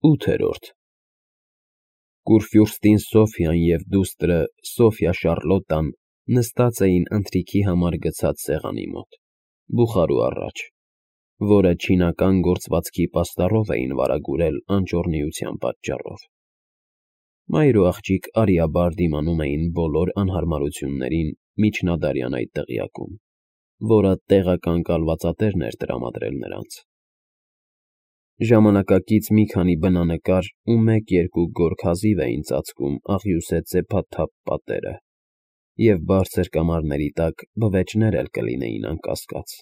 8-րդ Կուրֆյուրստին Սոֆիան և դուստրը Սոֆյա Շառլոտան նստած էին ընթրիքի համար գցած սեղանի մոտ, բուխարու առաջ, որը չինական գործվածքի պաստառով էին վարագուրել անճոռնիության պատճառով։ Մայր ու աղջիկ արիաբար դիմանում էին բոլոր անհարմարություններին միջնադարյան այդ դղյակում, որը տեղական կալվածատերն էր տրամադրել նրանց։ Ժամանակակից մի քանի բնանկար ու մեկ-երկու գորգ հազիվ էին ծածկում աղյուսե ծեփաթափ պատերը, և բարձր կամարների տակ բվեճներ էլ կլինեին անկասկած։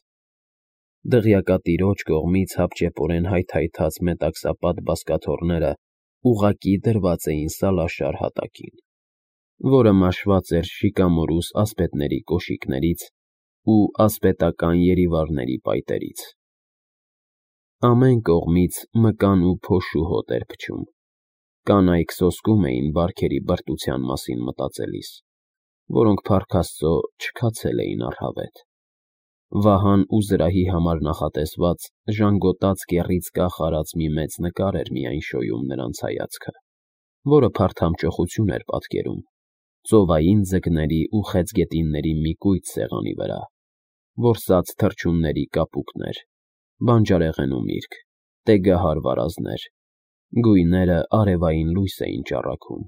Դղյակատիրոջ կողմից հապճեպորեն հայթայթած մետաքսապատ բազկաթոռները ուղղակի դրված էին սալաշար հատակին, որը մաշված էր շիկամորուս ասպետների կոշիկներից ու ասպետական երիվարների պայտերից։ Ամեն կողմից մկան ու փոշու հոտ էր փչում, կանայք սոսկում էին բարքերի բրտության մասին մտածելիս, որոնք փառք Աստծո չքացել էին առհավետ։ Վահան ու զրահի համար նախատեսված ժանգոտած կեռից կախ արած մի մեծ նկար էր միայն շոյում նրանց հայացքը, որը փարթամճոխություն էր պատկերում, ծովային ձկների ու խեցգետինների մի կույտ սեղանի վրա, որսած թռչունների կապուկներ, բանջարեղեն ու միրգ, տեգահար վարազներ, գույները արևային լույս էին ճառագում։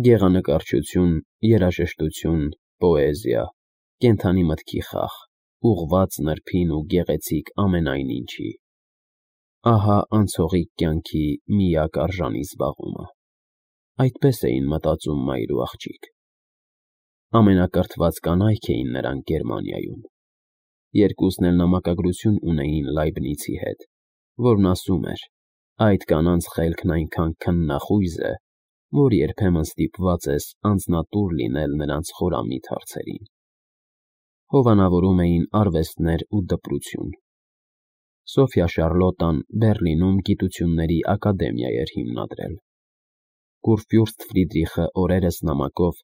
Գեղանկարչություն, երաժշտություն, պոեզիա, կենդանի մտքի խաղ, ուղղված նրբին ու գեղեցիկ ամենայն ինչի։ Ահա անցողիկ կյանքի միակ արժանի զբաղումը։ Այդպես էին մտածում մայր ու աղջիկ։ Ամենակրթված կանայք էին նրանք Գերմանիայում։ Երկուսն էլ նամակագրություն ունեին Լայբնիցի հետ, որն ասում էր. այդ կանանց խելքն այնքան քննախույզ է, որ երբեմն ստիպված ես անձնատուր լինել նրանց խորամիտ հարցերին։ Հովանավորում էին արվեստներ ու դպրություն։ Սոֆյա Շառլոտան Բեռլինում գիտությունների ակադեմիա էր հիմնադրել։ Կուրֆյուրստ Ֆրիդրիխը օրերս նամակով,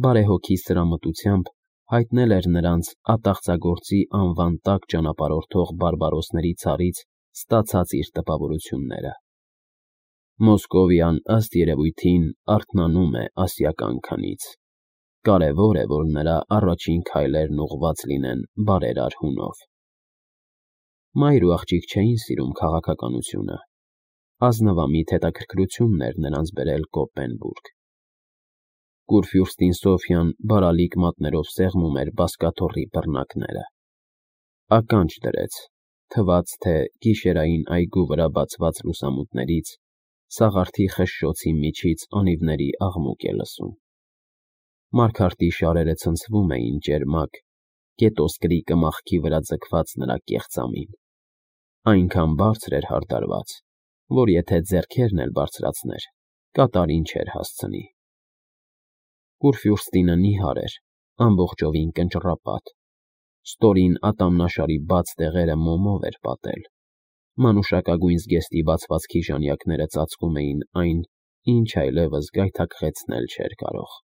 բարեհոգի սրամտությամբ հայտնել էր նրանց ատաղծագործի անվան տակ ճանապարհորդող բարբարոսների ցարից ստացած իր տպավորությունները։ Մոսկովյան, ըստ երևույթին, արթնանում է ասիական քնից։ Կարևոր է, որ նրա առաջին քայլերն ուղղված լինեն բարերար հունով։ Մայր ու աղջիկ չէին սիրում քաղաքականությունը։ Ազնվամիտ հետաքրքրությունն էր նրանց բերել Կոպենբուրգ։ Կուրֆյուրստին Սոֆյան բարալիկ մատներով սեղմում էր բազկաթոռի բռնակները։ Ականջ դրեց, թվաց, թե գիշերային այգու վրա բացված լուսամուտներից սաղարթի խշշոցի միջից անիվների աղմուկ է լսում։ Մարգարտի շարերը ցնցվում էին ճերմակ, կետոսկրի կմախքի վրա ձգված նրա կեղծամին։ Այնքան բարձր էր հարդարված, որ եթե ձեռքերն էլ բարձրացներ, կատարին չէր հասցնի։ Կուրֆյուրստինը նիհար էր, ամբողջովին կնճռապատ, ստորին ատամնաշարի բաց տեղերը մոմով էր պատել, մանուշակագույն զգեստի բացվածքի ժանյակները ծածկում էին այն, ինչ այլևս գայթակղեցնել չէր կարող։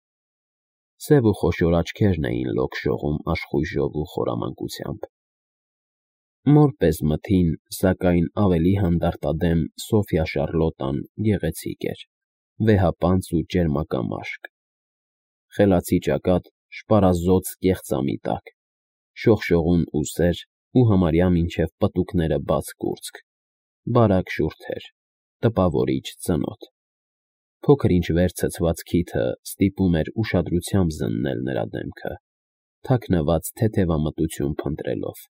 Սև ու խոշոր աչքերն էին լոկշողում աշխույժով ու խորամանկությամբ։ Մոր պես մթին, սակայն ավելի հանդարտադեմ Սոֆյա Շառլոտան գեղեցիկ էր, վեհապանծ ու ճերմակամաշկ։ Խելացի ճակատ, շպարազոծ կեղծամի տակ, շողշողուն ուսեր ու համարյա մինչև պտուկները բաց կուրծք, բարակ շուրթեր, տպավորիչ ծնոտ։ Փոքր-ինչ վեր ցցված քիթը ստիպում էր ուշադրությամբ զննել նրա դեմքը, թաքնված թեթևամտություն փնտրելով։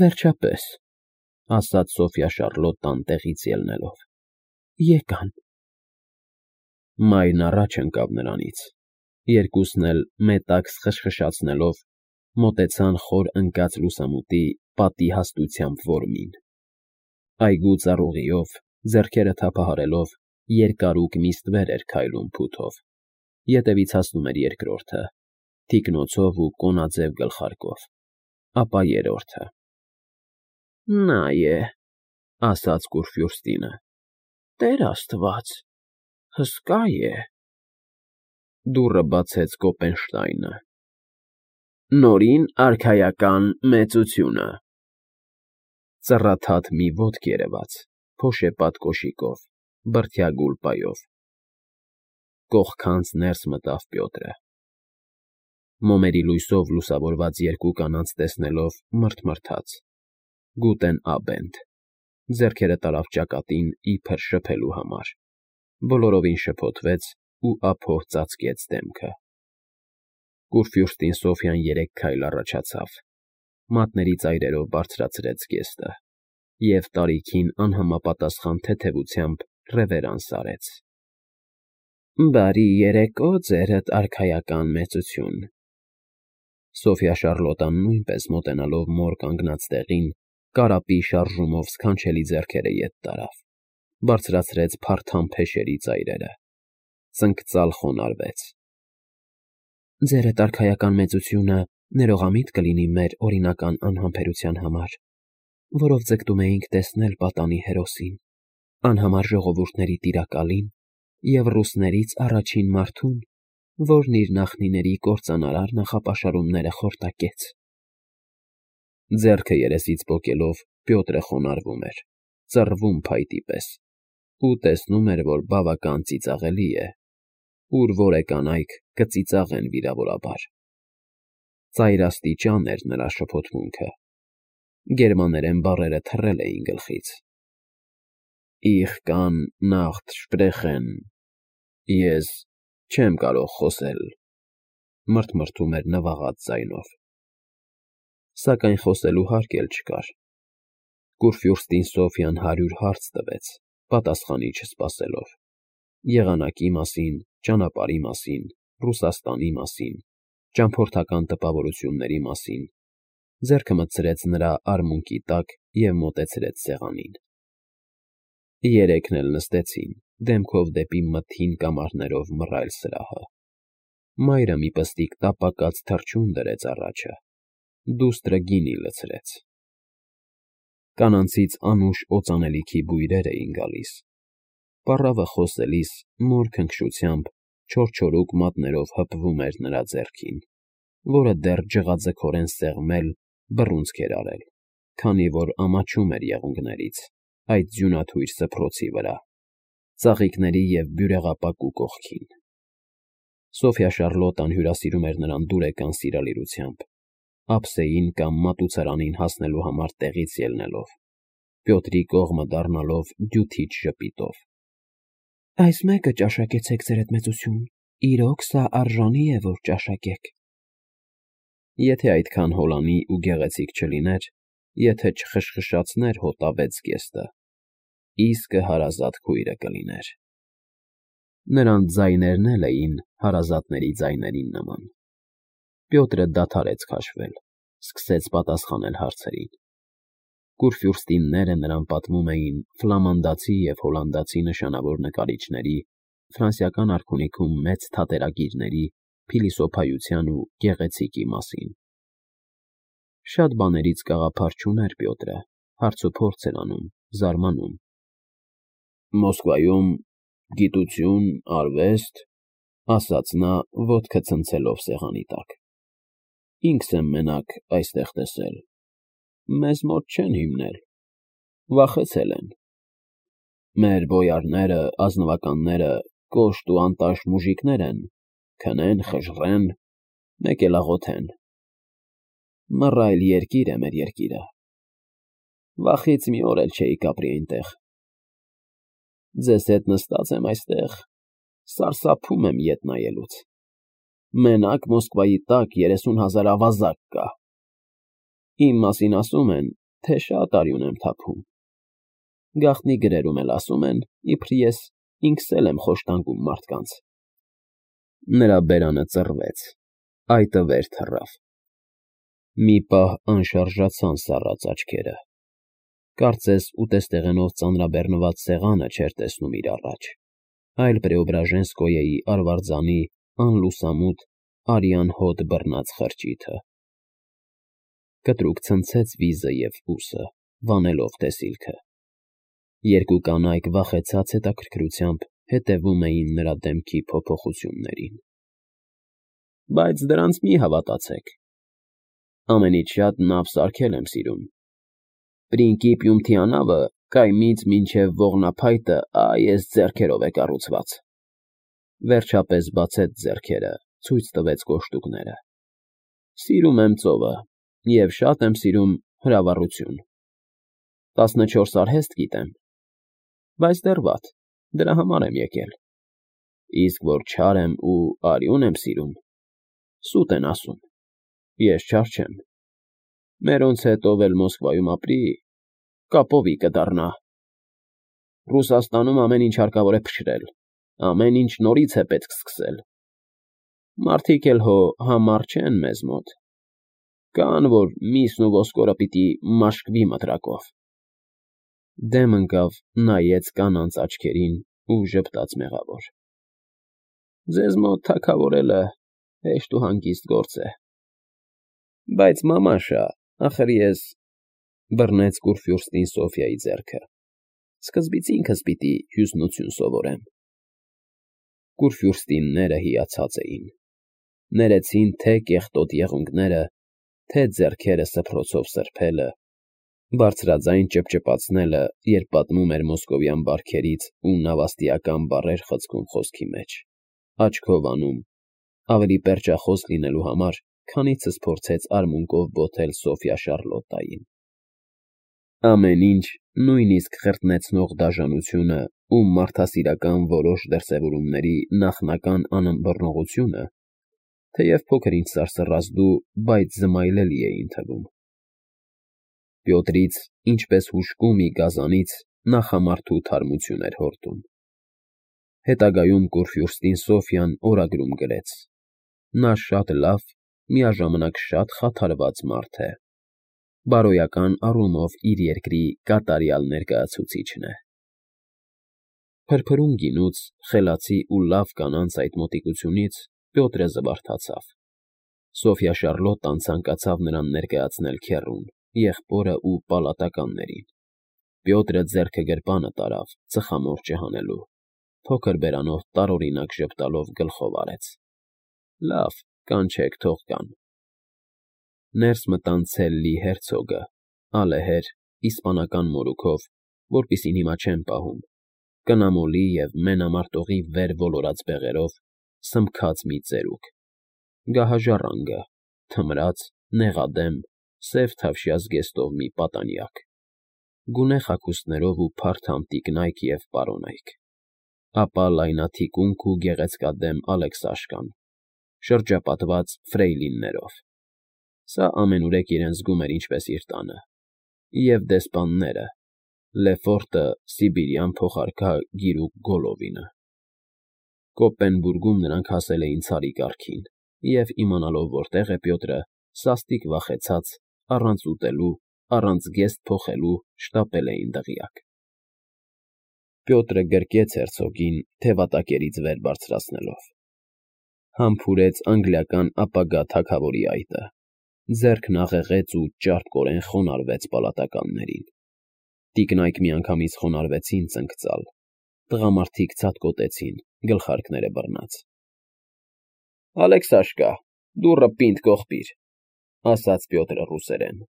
Վերջապես, ասաց Սոֆյա Շառլոտան տեղից ելնելով, եկան։ Մայրն առաջ ընկավ նրանից, երկուսն էլ մետաքս խշխշացնելով մոտեցան խոր ընկած լուսամուտի պատի հաստությամբ որմին։ Այգու ծառուղիով, ձեռքերը թափահարելով, երկարուկ միստվեր էր քայլում փութով, ետևից հասնում էր երկրորդը, թիկնոցով ու կոնաձև գլխարկով, ապա երրորդը։ Նա է, ասաց Կուրֆյուրստինը, Տեր Աստված, հսկա է։ Դուռը բացեց Կոպենշտայնը։ Նորին արքայական մեծությունը։ Ծռաթաթ մի ոտք երևաց, փոշեպատ կոշիկով, բրդյա գուլպայով։ Կողքանց ներս մտավ Պյոտրը։ Մոմերի լույսով լուսավորված երկու կանանց տեսնելով մռթմռթաց. Գուտեն Աբենդ, ձեռքերը տարավ ճակատին իբր շփելու համար, բոլորովին շփոթվեց ու ափով ծածկեց դեմքը։ Կուրֆյուրստին Սոֆյան 3 քայլ առաջացավ, մատների ծայրերով բարձրացրեց գեստը և տարիքին անհամապատասխան թեթևությամբ ռևերանս արեց։ Բարի երեկո, ձերդ արքայական մեծություն։ Սոֆյա Շարլոտան նույնպես մոտենալով մոր կանգնած տեղին, կարապի շարժումով սքանչելի ձեռքերը ետ տարավ, բարձրացրեց փարթամ փեշերի ծայրերը, ծնկծալ խոնարհվեց։ Ձերդ արքայական մեծությունը ներողամիտ կլինի մեր օրինական անհամբերության համար, որով ձգտում էինք տեսնել պատանի հերոսին, անհամար ժողովուրդների տիրակալին և ռուսներից առաջին մարդուն, որն իր նախնիների կործանարար նախապաշարումները խորտակեց։ Ձեռքը երեսից պոկելով Պյոտրը խոնարհվում էր, ծռվում փայտի պես, ու տեսնում էր, որ բավական ծիծաղելի է, ուր որ է կանայք կծիծաղեն վիրավորաբար։ Ծայրաստիճան էր նրա շփոթմունքը, գերմաներեն բառերը թռել էին գլխից։ Ich kann nicht sprechen, ես չեմ կարող խոսել, մռթմռթում էր նվաղած ձայնով։ Սակայն խոսելու հարկ էլ չկար։ Կուրֆյուրստին Սոֆյան 100 հարց տվեց, պատասխանի չսպասելով. եղանակի մասին, ճանապարհի մասին, Ռուսաստանի մասին, ճամփորդական տպավորությունների մասին, ձեռքը մտցրեց նրա արմունկի տակ և մոտեցրեց սեղանին։ Երեքն էլ նստեցին, դեմքով դեպի մթին կամարներով մռայլ սրահը։ Մայրը մի պստիկ տապակած թռչուն դրեց առաջը, դուստրը գինի լցրեց։ Կանանցից անուշ օծանելիքի բույրեր էին գալիս։ Պառավը խոսելիս մոր քնքշությամբ չորչորուկ մատներով հպվում էր նրա ձեռքին, որը դեռ ջղաձգորեն սեղմել, բռունցք էր արել, քանի որ ամաչում էր եղունգներից, այդ ձյունաթույր սփռոցի վրա, ծաղիկների և բյուրեղապակու կողքին։ Սոֆյա Շարլոտան հյուրասիրում էր նրան դուրեկան սիրալիրությամբ, ափսեին կամ մատուցարանին հասնելու համար տեղից ելնելով, Պյոտրի կողմը դառնալով դյութիչ ժպիտով։ Այս մեկը ճաշակեցեք, ձերդ մեծություն, իրոք սա արժանի է, որ ճաշակեք։ Եթե այդքան հոլանի ու գեղեցիկ չլիներ, եթե չխշխշացներ հոտավեց գեստը, իսկը հարազատ քույրը կլիներ։ Նրանց ձայներն էլ էին հարազատների ձայներին նման։ Պյոտրը դադարեց քաշվել, սկսեց պատասխանել հարցերին։ Կուրֆյուրստինները նրան պատմում էին ֆլամանդացի և հոլանդացի նշանավոր նկարիչների, ֆրանսիական արքունիքում մեծ թատերագիրների, փիլիսոփայության ու գեղեցիկի մասին։ Շատ բաներից գաղափար չուներ Պյոտրը, հարցուփորձ էր անում, զարմանում։ Մոսկվայում գիտություն, արվեստ, ասաց նա, ոտքը ցնցելով սեղանի տակ։ Ինքս եմ մենակ այստեղ տեսել։ Մեզ մոտ չեն հիմնել, վախեցել են։ Մեր բոյարները, ազնվականները կոշտ ու անտաշ մուժիկներ են, քնեն, խժռեն, մեկ էլ աղոթեն։ Մռայլ երկիր է մեր երկիրը։ Վախից մի օր էլ չէի կապրի այնտեղ։ Ձեզ հետ նստած եմ այստեղ, սարսափում եմ ետ նայելուց։ Մենակ Մոսկվայի տակ 30,000 ավազակ կա։ Իմ մասին ասում են, թե շատ արյուն եմ թափում։ Գաղտնի գրերում էլ ասում են, իբր ես ինքս էլ եմ խոշտանգում մարդկանց։ Նրա բերանը ծռվեց, այտը վեր թռավ։ Մի պահ անշարժացան սառած աչքերը։ Կարծես ուտեստեղենով ծանրաբեռնված սեղանը չէր տեսնում իր առաջ, այլ Պրեոբրաժենսկոյեի արվարձանի անլուսամուտ արյան հոտ բռնած խրճիթը։ Կտրուկ ցնցեց վիզը և ուսը, վանելով տեսիլքը։ Երկու կանայք վախեցած հետաքրքրությամբ հետևում էին նրա դեմքի փոփոխություններին։ Բայց դրանց մի հավատացեք։ Ամենից շատ նավ սարքել եմ սիրում։ Պրինկիպիում թիանավը Կայմից մինչև ողնափայտը այս ձեռքերով է կառուցված։ Վերջապես բացեց ձեռքերը, ցույց տվեց կոշտուկները։ Սիրում եմ ծովը և շատ եմ սիրում հրավառություն։ 14 արհեստ գիտեմ, բայց դեռ վատ, դրա համար եմ եկել։ Իսկ որ չար եմ ու արյուն եմ սիրում, սուտ են ասում, ես չար չեմ։ Մերոնց հետ ով էլ Մոսկվայում ապրի, կապովի կդառնա։ Ռուսաստանում ամեն ինչ հարկավոր է փշրել, ամեն ինչ նորից է պետք սկսել։ Մարդիկ էլ հո համառ չեն մեզ մոտ։ Կան, որ միսն ու ոսկորը պիտի մաշկվի մտրակով։ Դեմ ընկավ, նայեց կանանց աչքերին ու ժպտաց մեղավոր։ Ձեզ մոտ թագավորելը հեշտ ու հանգիստ գործ է։ Բայց մամաշա, ախր ես բռնեց Կուրֆյուրստին Սոֆյայի ձեռքը։ Սկզբից ինքս պիտի հյուզնություն սովորեմ։ Կուրֆյուրստինները հիացած էին։ Ներեցին թե կեղտոտ եղունգները, թե ձեռքերը սփռոցով սրբելը, բարձրաձայն ճպճպացնելը, երբ պատմում էր մոսկովյան բարքերից ու նավաստիական բառեր խցկում խոսքի մեջ, աչքով անում, ավելի պերճախոս լինելու համար, քանիցս փորձեց արմունկով բոթել Սոֆյա Շարլոտտային։ Ամեն ինչ, նույնիսկ խրտնեցնող դաժանությունը ու մարդասիրական որոշ դրսևորումների նախնական անըմբռնողությունը, թեև փոքր-ինչ սարսռազդու, բայց զմայլելի էին թվում։ Պյոտրից, ինչպես հուժկու մի գազանից, նախամարդու թարմություն էր հորդում։ Հետագայում Կուրֆյուրստին Սոֆյան օրագրում գրեց. նա շատ լավ, միաժամանակ շատ խաթարված մարդ է։ Բարոյական առումով իր երկրի կատարյալ ներկայացուցիչն է։ Փրփրուն գինուց, խելացի ու լավ կանանց այդ մոտիկությունից Պյոտրը զվարթացավ։ Սոֆյա Շարլոտտան ցանկացավ նրան ներկայացնել քեռուն, եղբորը ու պալատականներին։ Պյոտրը ձեռքը գրպանը տարավ, ծխամորճը հանելու, փոքր բերանով տարօրինակ ժպտալով գլխով արեց։ Լավ, կանչեք, թող գան։ Ներս մտան Ցելլի հերցոգը, ալեհեր, իսպանական մորուքով, որպիսին հիմա չեն պահում, կնամոլի և մենամարտողի վեր ոլորած բեղերով, սմբքած մի ծերուկ, գահաժառանգը, թմրած, նեղադեմ, սև թավշյա զգեստով մի պատանյակ, գունե հագուստներով ու փարթամ տիկնայք և պարոնայք, ապա լայնաթիկունք ու գեղեցկադեմ Ալեքսաշկան, շրջապատված ֆրեյլիններով։ Սա ամենուրեք իրեն զգում էր ինչպես իր տանը, և դեսպանները, Լեֆորտը, սիբիրյան փոխարքա գիրուկ Գոլովինը։ Կոպենբուրգում նրանք հասել էին ցարի կարգին, և իմանալով որտեղ է Պյոտրը, սաստիկ վախեցած, առանց ուտելու, առանց գեստ փոխելու շտապել էին դղյակ։ Պյոտրը գրկեց հերցոգին, թևատակերից վեր բարձրացնելով։ Համբուրեց անգլիական ապագա թագավորի այտը, ձեռքն աղեղեց ու ճարպկորեն խոնարհվեց պալատականներին։ Տիկնայք միանգամից խոնարհվեցին ծնկծալ, տղամարդիկ ցատկոտեցին, գլխարկները բռնած։ Ալեքսաշկա, դուռը պինդ կողպիր, ասաց Պյոտրը ռուսերեն։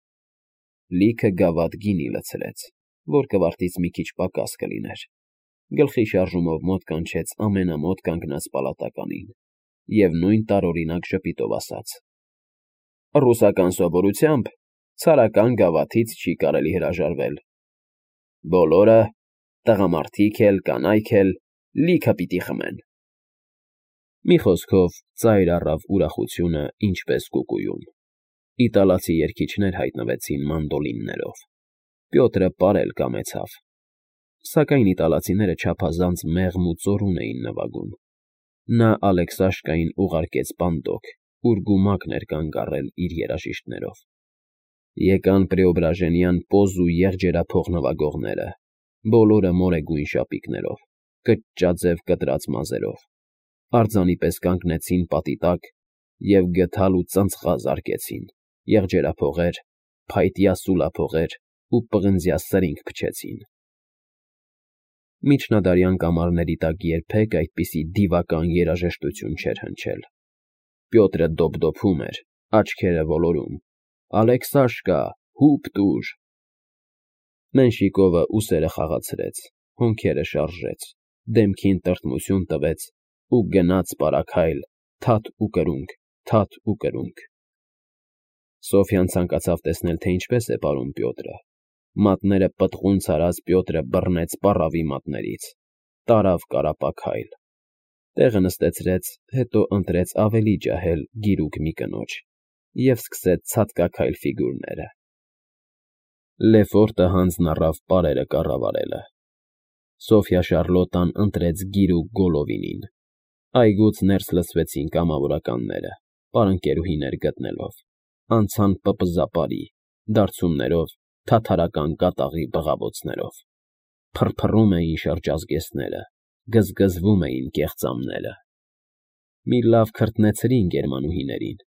Լիքը գավաթ գինի լցրեց, որ կվարտից մի քիչ պակաս կլիներ։ Գլխի շարժումով մոտ կանչեց ամենամոտ կանգնած պալատականին և նույն տարօրինակ ժպիտով ասաց. Ռուսական սովորությամբ ցարական գավաթից չի կարելի հրաժարվել։ Բոլորը, տղամարդիկ էլ, կանայք էլ, լիքը պիտի խմեն։ Մի խոսքով, ծայր առավ ուրախությունը ինչպես կուկուում։ Իտալացի երգիչներ հայտնվեցին մանդոլիններով։ Պյոտրը պարել կամեցավ։ Սակայն իտալացիները չափազանց մեղմ ու ծորուն էին նվագում։ Նա Ալեքսաշկային ուղարկեց պանդոկ, ուր գումակն էր կանգ առել իր երաժիշտներով։ Եկան Պրեոբրաժենյան պոզ ու եղջերափող նվագողները, բոլորը մորեգույն շապիկներով, կճճաձև կտրած մազերով, արձանի պես կանգնեցին պատի տակ և գդալ ու ծնցղա զարկեցին, եղջերափողեր, փայտյա սուլափողեր ու պղնձյա սրինգ փչեցին։ Միջնադարյան կամարների տակ երբեք այդպիսի դիվական երաժշտություն չէր հնչել։ Պյոտրը դոփդոփում էր, աչքերը ոլորում. Ալեքսաշկա, հուպ տուր։ Մենշիկովը ուսերը խաղացրեց, հոնքերը շարժեց, դեմքին տրտմություն տվեց ու գնաց պարաքայլ, թաթ ու կրունկ, թաթ ու կրունկ։ Սոֆյան ցանկացավ տեսնել, թե ինչպես է պարում Պյոտրը։ Մատները պտղուն ցարած Պյոտրը բռնեց պառավի մատներից, տարավ կարապաքայլ, տեղը նստեցրեց, հետո ընտրեց ավելի ջահել գիրուկ մի կնոջ և սկսեց ցատկաքայլ ֆիգուրները։ Լեֆորտը հանձն առավ պարերը կառավարելը։ Սոֆյա Շարլոտան ընտրեց գիրուկ Գոլովինին։ Այգուց ներս լսվեցին կամավորականները, պարընկերուհիներ գտնելով, անցան պպզապարի, դարձումներով, թաթարական կատաղի բղավոցներով։ Փռփռում էին շրջազգեստները, գզգզվում էին կեղծամները։ Մի լավ քրտնեցրին գերմանուհիներին,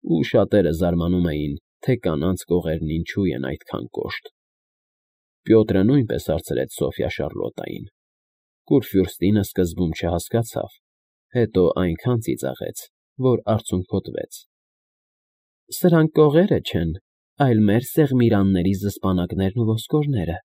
ու շատերը զարմանում էին, թե կանանց կողերն ինչու են այդքան կոշտ։ Պյոտրը նույնպես հարցրեց Սոֆյա Շարլոտային։ Կուրֆյուրստինը սկզբում չհասկացավ, հետո այնքան ծիծաղեց, որ արցունքոտվեց։ Սրանք կողերը չեն, այլ մեր սեղմիրանների զսպանակներն ու ոսկորները։